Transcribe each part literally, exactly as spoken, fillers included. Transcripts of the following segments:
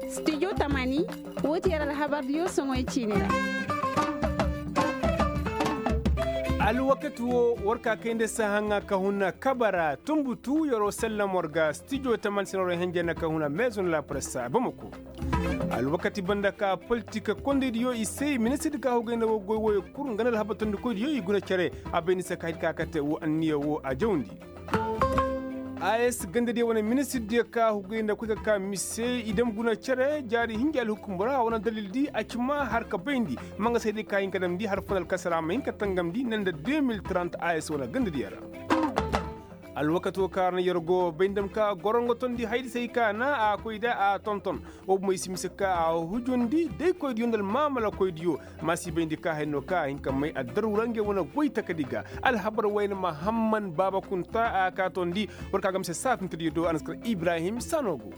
Stijo tamani, woo ti yer alhabardiyo soŋoy ciini ra. Alwakati woo war ka kay nda sahaŋa ka huna kabara tunbutu yeroo sallam war ga stijo tamani se no ra henjey na ka huna maison la presse bamako. Alwakati banda ka politik kondaydiyo i se ministirdi ka hugay nda woo goy wooyo kul nga nda alhabar tondikoydiyo i guna cere. A bay ni se ka hay ka kate woo anniya woo a jawndi. As gandadiyo wane ministirdiyo ka hugay nda koy ka ka mise i dam guna cere jaari hinja alhukum ra a wane dalildi a ci ma har ka bayndi. Ma nga se day ka hin ka damndi har fo nda alkasara ma hin ka tangamndi ne nda deux mille trente as wane gandadiyo ra. Alwakato ka ra na yer go bay nda dam ka gorongo tondi haydi se hay ka na a koy da a tonton. Woo bumey si mise ka a hujundi daykoydiyo nda almaamalakoydiyo. Ma si bayndi ka hay no ka a hin ka may addaru ra ngey wane goy takadi ga. Alhabar wayne mahamman baaba kunta a ka tondi. War ka ga mise saafintediyo do a na si kar ibrahim sano go.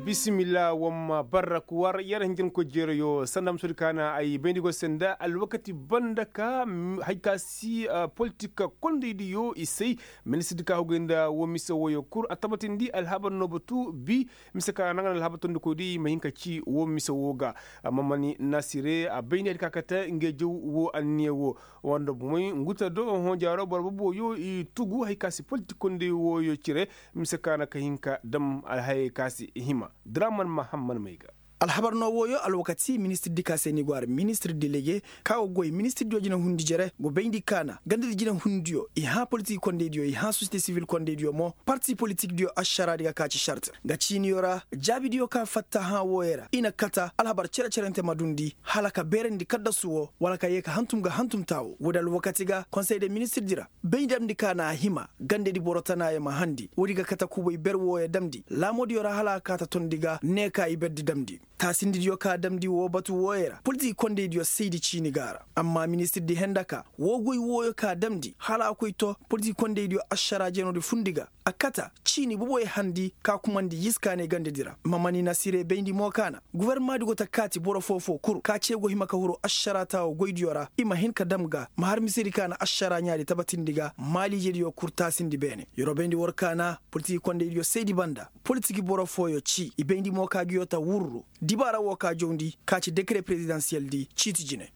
Bisimilla wamma barrak war yer hinjankoy jeerayo sanda musoodi ka na ay bayndi go se nda alwakati banda ka hay ka si politik kondaydiyo i say. Ministirdi ka hugay nda woo mise wooyo kul a tabatindi alhabar no batu bi. Mise ka naŋ na alhabar tondikoydi i ma hin ka ci woo mise woo ga. Amma mani nasire a bayndi hay ka kate ngey jaw woo anniya woo. Wanda bumey nguta do honjaaro boro boboyo i tugu hay ka si politik konday wooyo cire. Mise ka na ka hin ka dam alhayey ka si hima draman mahamman may ga. Alhabar no wooyo alwakati ministirdi ka se ni go ara ministir delege ka go goy ministirdiyo jinahundi jere go bayndi ka na gandadi jinahundiyo i hã politik kondaydiyo i hã sosiyete sivil kondaydiyo mo parti politikdiyo ašaraadi ga ka ci šart. Nga ciiniyo ra jaabidiyo ka fatta hã wooyo ra i na kata alhabar cere-cerente ma dundi hala ka beerandi kaddasu woo wala ka yee ka hantum ga hantum taawo woodi alwakati ga konsey de ministirdi ra. Bay damndi ka na a hima gandadi boro tanaayo ma handi woodi ga kate kubay ber wooyo damndi laamoodiyo ra hala a kaata tondi ga ne ka i berdi damndi. Taasindidiyo ka damndi woo batu wooyo ra politik kondaydiyo saydi ciini ga a ra. Amma ministirdi henda ka woo goy wooyo ka damndi hala a koy to politik kondaydiyo ašaraa jenoodi fundi ga. A kata ciini boboyo handi ka kumandi yiskaanay gandadi ra ma mani nasirey bayndi mo ka na gufornamaadi go ta kaati boro foo-foo kul ka cee go hima ka huru ašaraa taawo goydiyo ra i ma hin ka dam ga ma har misedi ka na ašaraa ɲaadi tabatindi ga maaliijediyo kul taasindi beene. Yeroo bayndi war ka na politik kondaydiyo saydi banda politik boro fooyo ci i bayndi mo ka ngiyo ta wurru dibaara woo ka jawndi ka ci dekere perezidansiyeldi ciiti jine.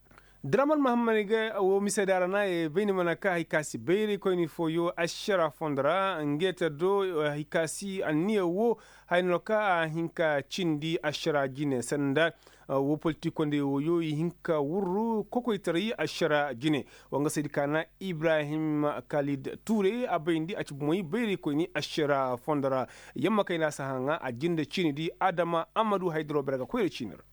Draman mahammad ga woo mise daara na ye bayni mana ka hay ka si bayraykoyni fooyo ašara fondo ra nge ta do hay ka si anniya woo. Hay no ka a hin ka cindi ašara jine sanda woo politik kondey wooyo i hin ka wurru kokoytaray ašara jine. Wa nga saydi ka na ibrahim kalid tuure a bayndi a ci bumey bayraykoyni ašara fondo ra. Yamma kay na a si haŋa a jinde ciini di adama amadu haydaro bere ga koyra ciini ra.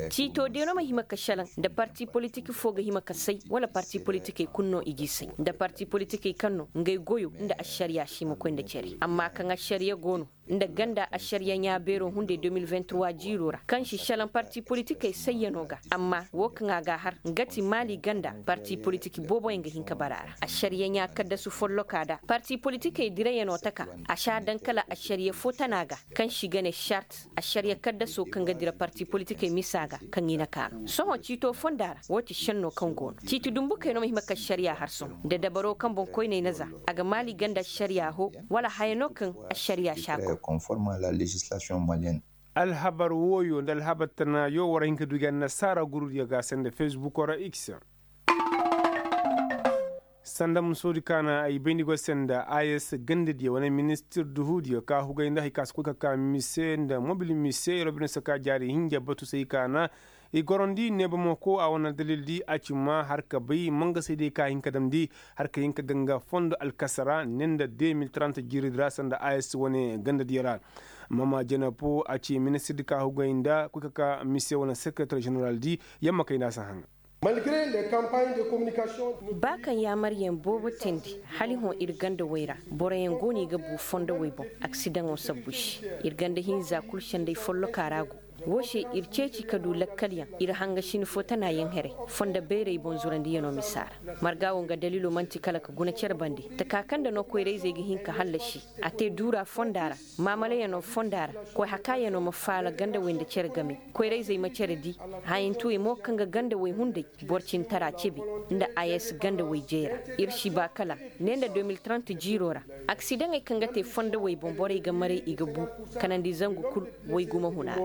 Ciito de no ma hima ka šelaŋ nda parti politik foo ga hima ka say wala parti politikey kul no i g'i say nda parti politikey kaŋ no ngey goyo nda ašariya si hima koy nda cere amma kaŋ ašariya go no nda ganda ašariya ɲaa beero hunday deux mille vingt-trois jiiro ra kaŋ si šelaŋ parti politikey sayyano ga. Amma woo kaŋ a g'a har nga ti maali ganda parti politik booboyaŋ ga hin ka bara a ra ašariya ɲaa kaddasu folloka da parti politikey dirayano taka a si a daŋ kala ašariya foo tana ga kaŋ si ga ne šart ašariya kaddaso kaŋ ga dira parti politikey misa ga kaŋ i na kaanu sohõ ciito fonda ra woo ti šenno kaŋ go no ciiti dumbukey no ma hima ka ašariya har sohõ nda dabaro kaŋ boŋ koyney na za a ga maali ganda ašariya hoo wala haya no kaŋ ašariya si a kor. Alhabar wooyo nda alhabar tanaayo war hin ka du ga annasaara gurudiyo ga sanda fesbuko ra x. Sanda musoodi ka na ay bayndi go se nda as gandadiyo wane ministir duhudiyo ka hugay nda hay ka si koy ka ka mise nda mobil mise robinese ka jaari hinja batu se i ka na i gorandi neebamako a wane dalildi a ci ma har ka bay mangasaydiyo ka hin ka damndi har ka hin ka ga nga fondo alkasara ne nda deux mille trente jiiridi ra sanda as wane gandadiyo ra. Mama jenepo a ci ministirdi ka hugay nda koy ka ka mise wane sekeretar jeneraldi. Yamma kay nda a si haŋa. Ba kaŋ yaamaryaŋ boobo teendi hala i hõ ir ganda wey ra boroyaŋ go no i ga bu fondowey boŋ aksidaŋo sabbu se. Ir ganda hinza kul senday follokaa ra go. Woo se ir ceeci ka du lakkalyaŋ, ir hangasin fo tanayaŋ here, fondo bayray boŋ zurandiyanoo misa ra. Marga woo nga daliiloo man'ti kala ka guna cere bande, taka kaŋ nda no koyrayzey ga hin ka hallasi, a te duura fonda ra, maamalayanoo fonda ra, koy hakaayanoo ma faala gandawey nda cere game, koyrayzey ma cere dii, hayantawey mo kaŋ ga gandawey hunday, boro cintara cebi, nda a s gandawey jey ra. Ir si ba kala, ne nda deux mille trente jiiroo ra, aksidaŋey kaŋ ga te fondowey boŋ borey ga maray i ga bu, kanandi zangu kul, way gumo huna ra.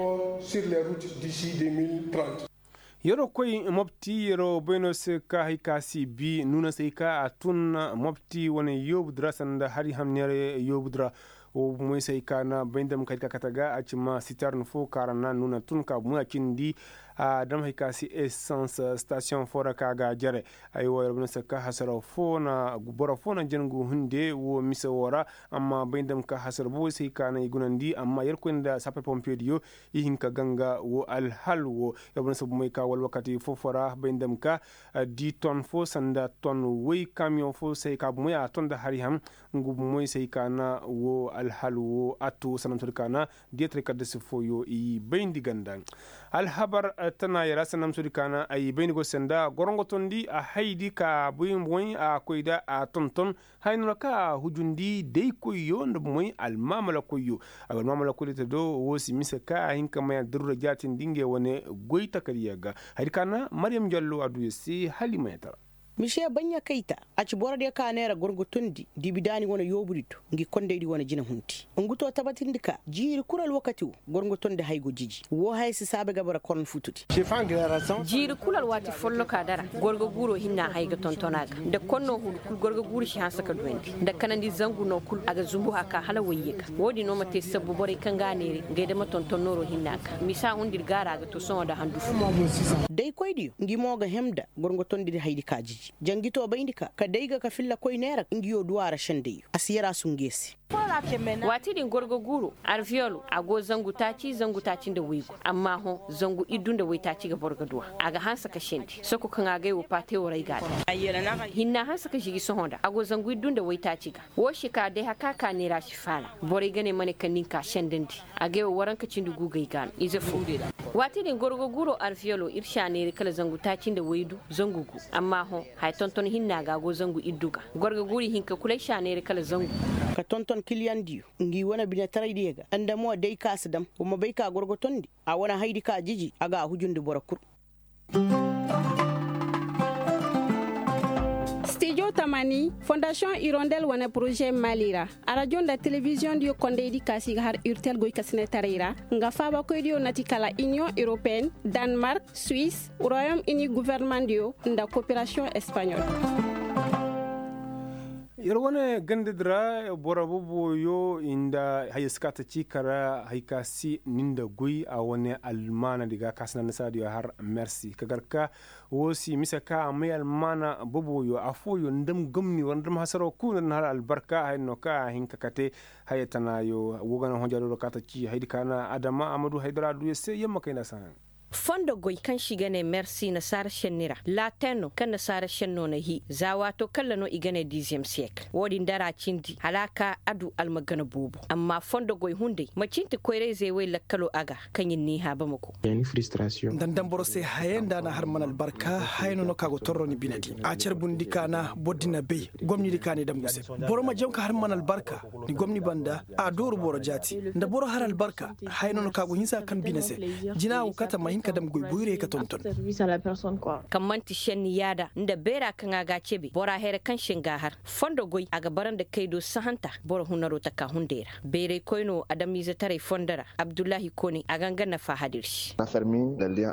Yeroo koy mopti yeroo bay no se ka hari ka si bi nuuna se ka a tun mopti wane yoobu dira sanda hari hamniyar yoobu dira. Wo moy se ka na bay ndam ka hari ka kate ga a ci ma sitern fo ka ra na nuuna tun ka moy a cindi. A dam hari ka si esans stasiyoŋ fo ra ka ga jere. Ay wo yeroo bay no se ka hasara fo na boro fo na jangu hunde wo mise wo ra. Amma bay ndam ka hasara bo se ka na i gunandi amma yeroo koy nda sapar pompiye diyo. I hin ka ganga wo alhal wo. Yabana sabu moy ka wala wakati fofo ra bay ndam ka di ton fo sanda ton woy kamiyoŋ fo se ka bumoy a ton da hari ham. Ngu bumoy se ka na wo alhal wo atto sanam sodi ka na. Diyatare kadda si foyo i bayndi ganda. Alhabar tana yara sanam sodi ka na ay bayndi go sanda gorongo tondi a haydi ka buy moy a koy da a ton ton. Hay no na ka a hujundi day koyyo nda moy almamala koyyo. Almamala koyyo te do wo si mise ka a hin ka maya durra jaatindi ngey wane goy takariya ga. Hay di ka na maryam jallo a du ya se hali maya tara. Mise baɲɲa kayta a ci borodiyo ka neera gorgotondi dibidaani wane yoobudi do ngi kondaydi wane jina hunti. Ngu to tabatindi ka jiiri kul alwakati wo gorgotondi hay go jiji wo haya si saabe ga bara koron futudi. Jiiri kul alwaati folloka dara gorgo guuro hinna hay ga tonton a ga nda konno hudu kul gorgo guuro si hanse ka duyandi nda kanandi zangu no kul a ga zumbu haka hala wayye ga. Wo-din no ma te sabbu borey kaŋ ga a neeri ngey dama tonton nooro hinna ga misa hundir gaara a ga to sohõ nda handu fo. Daykoydiyo ngi mo ga hemda gorgo tondidi haydi ka jiji jangi to bayndi ka ka day ga ka filla koy neera ngiyo du a ra sendayyo a si yara sunge se. Waati din gorgo guuro arviyolo a go zangu taaci zangu taaci nda waygu amma hõ zangu iddu nda waytaaci ga boro ga du a a ga hanse ka sendi soko kaŋ a gay wo paate wo ra ay ga a daŋ. Hinna hanse ka zigi sohõ nda a go zangu iddu nda waytaaci ga. Wo si ka day haka ka neera si faala borey ga ne ma ne kaŋ nin ka sendandi. A gay wo waranka cindi gu gay ga no ize fo. Waati din gorgo guuro arviyolo ir si a neeri kala zangu taaci nda waydu zangu gu. Amma hõ haya tonton hinna ga a go zangu iddu ga. Gorgo guuri hinka kul ay si a neeri kala zangu. Ka tonton kiliyandiyo ngi wane binetaraydiyo ga nda mo day ka si dam wa ma bay ka gorgotondi. A wane haydi ka jiji a ga a hujundi boro kul. Stijo tamani fondasiyoŋ irondel wane poroze mali ra. Arajo nda telebiziyoŋdiyo kondaydi ka si ga har urtel goykasinetaray ra. Nga faabakoydiyo na ti kala iniyoŋ europeyenne, danmark, suisse, royaume uni guvernementdiyo nda koperasiyoŋ espaɲol. Yer wane gandadi ra boro boboyo i nda haya si ka ta ci kara hay ka si ni nda goy a wane almaanadi ga ka si na nasaadiyo har mersi ka gar ka. Wo si mise ka a may almaana boboyo afooyo nda ma gomni wala nda ma hasaro kulu nda na har albarka haya no ka a hin ka kate. Haya tanaayo wo ga na honjaadoro ka ta ci haydi ka na adama a ma du haydara duuya se yamma kay nda a si haŋ. Fondo goy kaŋ se i ga ne mersi nasaara senni ra latin no kaŋ nasaara senno na hii za waato kaŋ ra no i ga ne dizyem siyekil wo-din dara cindi hala a ka a du almagana boobo amma fondo goy hunday ma cinti koyrayzey wey lakkalo a ga. Kaŋ ir n'i hã bamako. Nda ni boro se haya nda a na har mana albarka haya no no ka go torro ni bine di a carbundi ka na boro di na bay gomni di ka ni damgu se. Boro ma jaŋ ka har mana albarka ni gomni banda a dooru boro jaati nda boro har albarka. Haya no no ka go hinsa kaŋ bine se jina wo kata ma hin ka dam goy boyray ka tonton. Kaŋ man'ti senni yaada nda beera kaŋ a ga a cebe bora here kaŋ se nga a har fondo goy a ga bara nda kaydo sahanta boro hunaro taka hunday ra. Beeraykoy no adamiizetaray fondo ra abdullahi kone a ga nga nafa hadir se.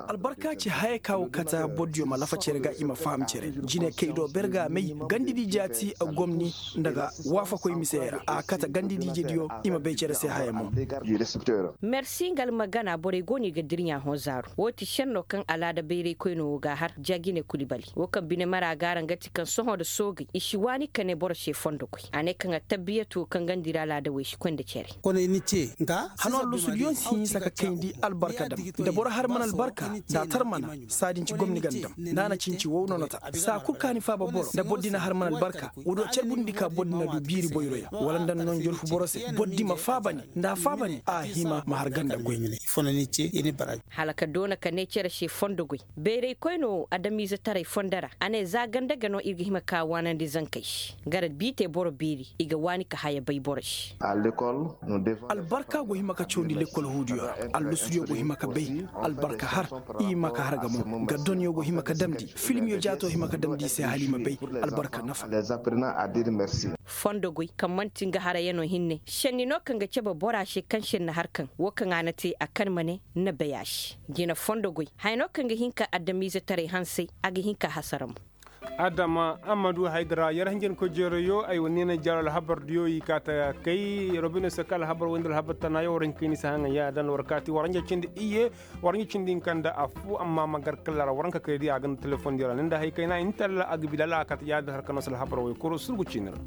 Albarka ci haya ka wo kata bordiyo ma lafa cere ga i ma faham cere jine kaydo berga may gandidi jaati gomni nda ga waafakoy misey ra a kata gandidi ijediyo i ma bay cere se haya mo. Mersi nga almagana borey go no i ga dirɲa hõ zaaru. Wo ti šenno kaŋ alaada bayraykoynoo wo ga a har jagine kulibali wo kaŋ bine mara ga araŋ ga ti kaŋ sohõ nda soogey i si waani ka ne boro se fondo goy a ne kaŋ attabbiyat wo kaŋ ganda ir alaada wo i si koy nda cere. Hano allusudiyoŋ si hinsa ka kayndi albarka dam. Da boro har mana albarka, da a tar mana, saa din ci gomni ganda dam. Nda a na cinci wow no na ta saa kul ka ni faaba boro nda boro di na har mana albarka, wo do carbundi ka boro di na du biiri boyroyaŋ wala nda no njolfu boro se. Boro di ma faaba ni, nda a faaba ni a hima ma har ganda goy. Hala ka doona ka ne cere se fondo goy. Bayraykoynoo adamiizetaray fondo ra a ne za ganda ga no ir ga hima ka waanandi zankey se. Gara biitey boro beeri i ga waani ka haya bay boro se. Albarka go hima ka cawandi lekkol huudiyo ra. Allusudiyo go hima ka bay albarka har. I hima ka har ga mo ga donyo go hima ka damndi filmiyo jaatoo hima ka damndi i se hala i ma bay albarka nafa. Fondo goy kaŋ man'ti nga harayanoo hinne šenni no kaŋ ga cabe bora se kaŋ šenni har kaŋ wo kaŋ a na te a kan ma ne na bay a se. Jina fondo goy haya no kaŋ ga hin ka adamiizetaray hansay a ga hin ka hasara mo. Adama ammadu haydara yer hinjankoy jeerayo ay wa neena jaaro alhabardiyo i kaata kay robino se ka alhabar wayndi alhabar tanayo war hin kayni se haŋa yaada nda war kaati war hinja cindi iyye. War hinja cindi hinka nda affo amma ma gar kalla ra war hinka kaydi a ga nda telefondiyo ra ni nda hay kayna intalla a ga bi lala a kaata yaada har ka no se alhabar waykoro surgu ciini ra.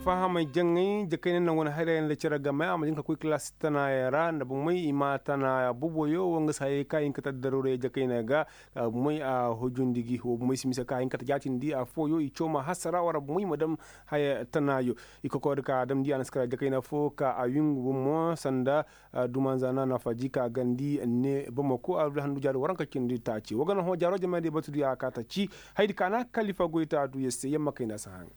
Fahamay jaŋay jakayna naŋ wane hayray yaŋ da cere game a ma jin ka koy kilaasi tanaayey ra nda bomey i ma tana boboyo wo nga se hayey kaŋ a hin ka te addaruurey jakayna ga. Bomey a hujundi gi wo bomey si mise kaŋ a hin ka te jaatindi affooyo i caw ma hasara wara bomey ma dam haya tanaayo. I kokoyri ka a damndi a na si kara jakayna fo ka a wingu bomo sanda dumanza na nafaji ka a gandi ne bomako a du handu jaari waranka cindi taaci wo ga na hõ jaaro jamaydey batudiyo a kaa ta ci. Haydi ka na kalifa goyta a du yer se yamma kayna si haŋ.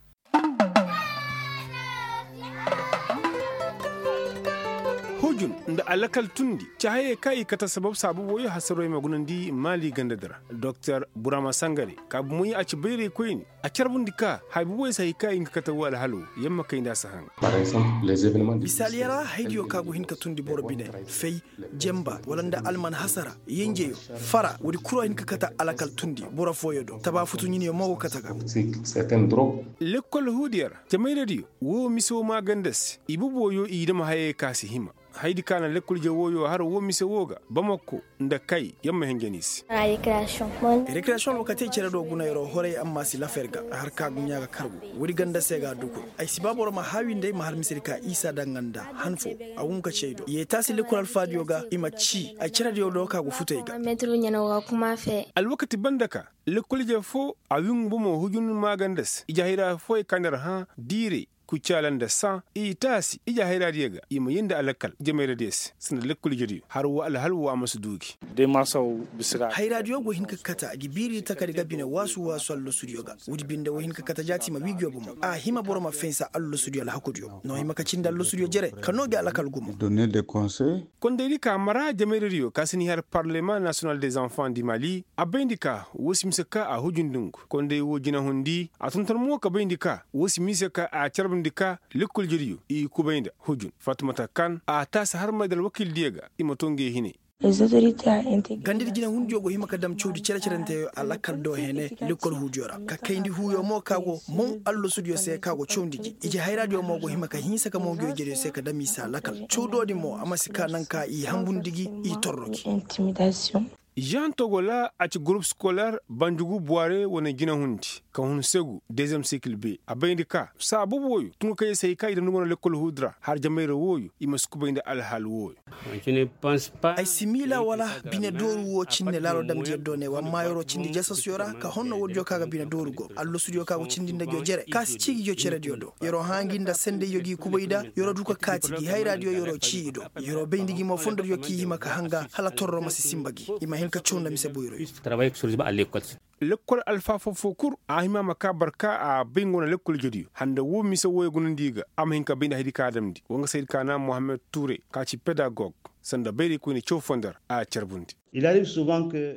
Hujun nda alakal tundi ci hayey kaŋ i kate sabab saabu wooyo hasaroo i ma gunandi maali ganda di ra. Doktor burama sangare ka bumoy a ci bayraykoyne a carbundi ka haya buboy se hay kaŋ i ga kate woo alhalo. Yamma kay nda a si haŋ. Misaaliyo ra haydiyo kaŋ a go hin ka tundi boro bine fay, janba wala nda alman hasara, yenjeyo, fara woodi kul a hin ka kate alakal tundi boro fooyo do taba futu ɲiniyo mo go kate ga. Lekkol huudiyo ra jamayradiyo woo mise woo maaganda se i bubooyo i dam hayey kaŋ a si hima. Haydi kaŋ a na lekkol je wooyo har woo mise woo ga bamako nda kay yer ma hinja ni se. Rekreyasiyoŋ alwakatey cere do guna yeroo horay amma a si lafa yer ga. Har ka duɲɲa ga kargu woodi ganda se ga a duku. Ay si ba boro ma haawi nda ay ma har misedi ka isa daŋ nga nda han fo. A wun ka ci ay do yeetaasi lekkol alfaadiyo ga i ma ci ay cerediyo do ka go futu ay ga. Alwakati banda ka lekkol je fo a wingu bomo hujun maaganda se ije hayra fooyey ka nda yer hã diiray kucaala nda saŋ i taasi ije hayraadiyo ga i ma yee nda alakal jamayradiyo se sanda lekkol ijediyo har woo alhal woo a ma si duu gi. Hayraadiyo go hin ka kate a ga biiri takari ga bine waasu waasu allasudiyo ga woodi binde wo hin ka kate jaati ma wii nguyo bomo a hima boro ma fensa allasudiyo alhakudiyo no hima ka cindi allasudiyo jere ka noo gi alakal gumo. Kondaydi ka mara jamayradiyo ka si ni har parlema nasiyonal des enfants di mali a bayndi ka woo si mise ka a hujundi ngu konday woo jinahundi a tonton mo ka bayndi ka woo si mise ka a carbundi ka lekkol jediyo i kubay nda hujun fatumata kan a taasi harmay nda alwakiildiyo ga i ma too ngey hinay. Gandadi jinahundiyo go hima ka dam cawdi cere-cerenteyo alakal do hene lekkol huudiyo ra ka kayndi huuyo mo ka go moŋ allasudiyo se ka go cawndi gi ije hayraadiyo mo go hima ka hinsa ka moŋ nguyo jediyo se ka dam i se alakal cawdoodi mo a ma si ka naŋ ka i hambundi gi i torro gi. Žan togola a ci gurup skoler banjugu buware wane jinahundi ka hun segu dezem sikil be a bayndi ka saabu wooyo tungu kaŋ yer se hay ka i damndi go no lekkol huudi ra har jamayra wooyo i ma si kubay nda alhaal wooyo. Ay si miila wala bine dooru woo cindi laalo damndi yer do ne wa maayaroo cindi jasasyo ra ka honno woodiyo ka ga bine dooru go allasudiyo ka go cindi nda nguyo jere ka si cii gi jo cerediyo do. Yeroo hã gi nda sendayyo g'i kubay nda yeroo du ka kaati gi hayraadiyo yeroo cii i do. Yeroo bayndi gi mo fondodiyo k'i hima ka hanga hala torro ma si sinba gi i ma hin ka caw nda mise boyroyo. Lekkol alfaafoo foo kul a hima ma kaa barka a bay nga wane lekkol ijediyo handa woo mise wooyo gunandi i ga a ma hin ka bay nda haydi ka a damndi wa nga se haydi ka naŋ mohammed tuure ka ci pedagog sanda bayraykoyne caw foo nda ra a carbundi.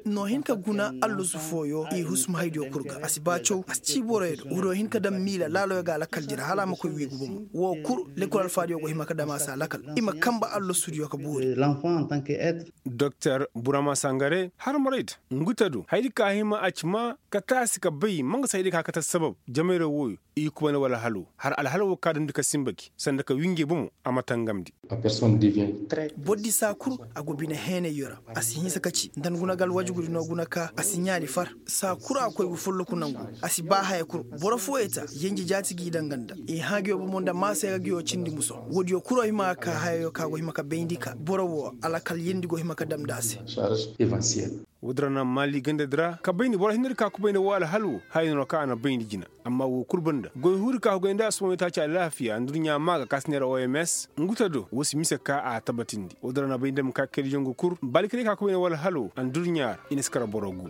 No hin ka guna allasu fooyo i husum haydiyo kul ga a si ba caw a si cii boroyo do woodiyo hin ka daŋ miila laaloyo ga alakal jere hala a ma koy wiigu bomo woo kul lekkol alfaadiyo go hima ka daŋ a se alakal i ma kanba allasudiyo ka boori. Doktor burama sangare harmarayda ngu te do haydi ka hima a ci ma ka taasi ka bay ma nga se haydi ka kate sabab jamayra wooyo. I kubayndi wala halo har alhal wo ka damndi ka sinba gi sanda ka winjey bomo a ma tangamndi. Bordi saa kul a go bine heenayyo ra. A si hinsa ka ci nda ni guna ga alwajugudi no guna ka a si ɲaani far. Saa kul a koy ga folloku nangu. A si ba haya kul. Boro fooyey ta yenje jaati g'i daŋ nga nda i hã nguyo bomo nda maasey ga nguyo cindi muso. Woodiyo kul a hima ga ka hayayo ka go hima ka bayndi ka boro wo alakal yendi go hima ka damndi a se. Woodi ra na maali gandadi ra ka bayndi boro hinne di ka kubayndi woo alhal wo haya no ra ka a na bayndi jina. Amma woo kul banda goy huudi ka hugay nda asubaŋo taaci alaafiya adduɲɲa maa ga ka si neera oms ngu ta do woo si mise ka a tabatindi woodi ra na bay nda ma ka kaydiyaŋ go kul baalikaray ka kubayndi woo alhal wo adduɲɲa ra i na si kar boro gu.